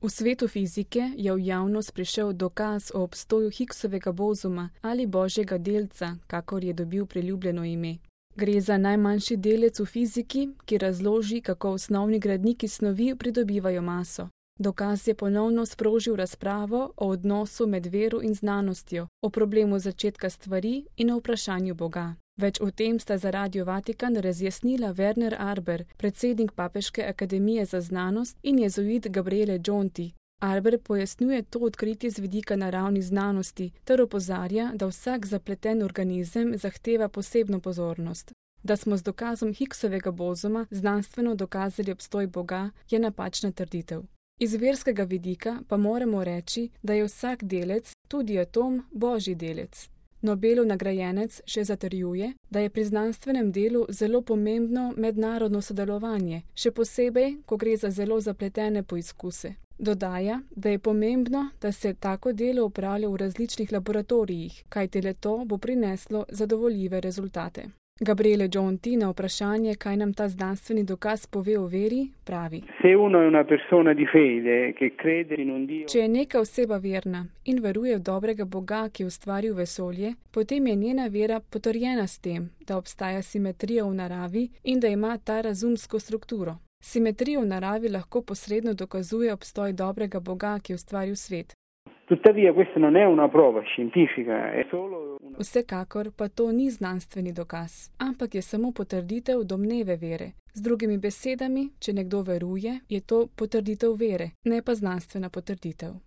V svetu fizike je v javnost prišel dokaz o obstoju Higgsovega bozuma ali božjega delca, kakor je dobil priljubljeno ime. Gre za najmanjši delec v fiziki, ki razloži, kako osnovni gradniki snovi pridobivajo maso. Dokaz je ponovno sprožil razpravo o odnosu med vero in znanostjo, o problemu začetka stvari in o vprašanju Boga. Več o tem sta za Radio Vatikan razjasnila Werner Arber, predsednik Papeške akademije za znanost, in jezuit Gabriele Gionti. Arber pojasnjuje to odkritje z vidika naravnih znanosti ter opozarja, da vsak zapleten organizem zahteva posebno pozornost. Da smo z dokazom Higgsovega bozuma znanstveno dokazali obstoj Boga, je napačna trditev. Iz verskega vidika pa moramo reči, da je vsak delec, tudi atom, božji delec. Nobelov nagrajenec še zatrjuje, da je pri znanstvenem delu zelo pomembno mednarodno sodelovanje, še posebej, ko gre za zelo zapletene poizkuse. Dodaja, da je pomembno, da se tako delo opravlja v različnih laboratorijih, kajti le to bo prineslo zadovoljive rezultate. Gabriele Gionti na vprašanje, kaj nam ta znanstveni dokaz pove o veri, pravi: Če je neka oseba verna in veruje v dobrega Boga, ki je ustvaril vesolje, potem je njena vera potrjena s tem, da obstaja simetrija v naravi in da ima ta razumsko strukturo. Simetrija v naravi lahko posredno dokazuje obstoj dobrega Boga, ki je ustvaril svet. Tuttavia questa non è una prova scientifica, è solo una... Vsekakor pa to ni znanstveni dokaz, ampak je samo potrditev domneve vere. Z drugimi besedami, če nekdo veruje, je to potrditev vere, ne pa znanstvena potrditev.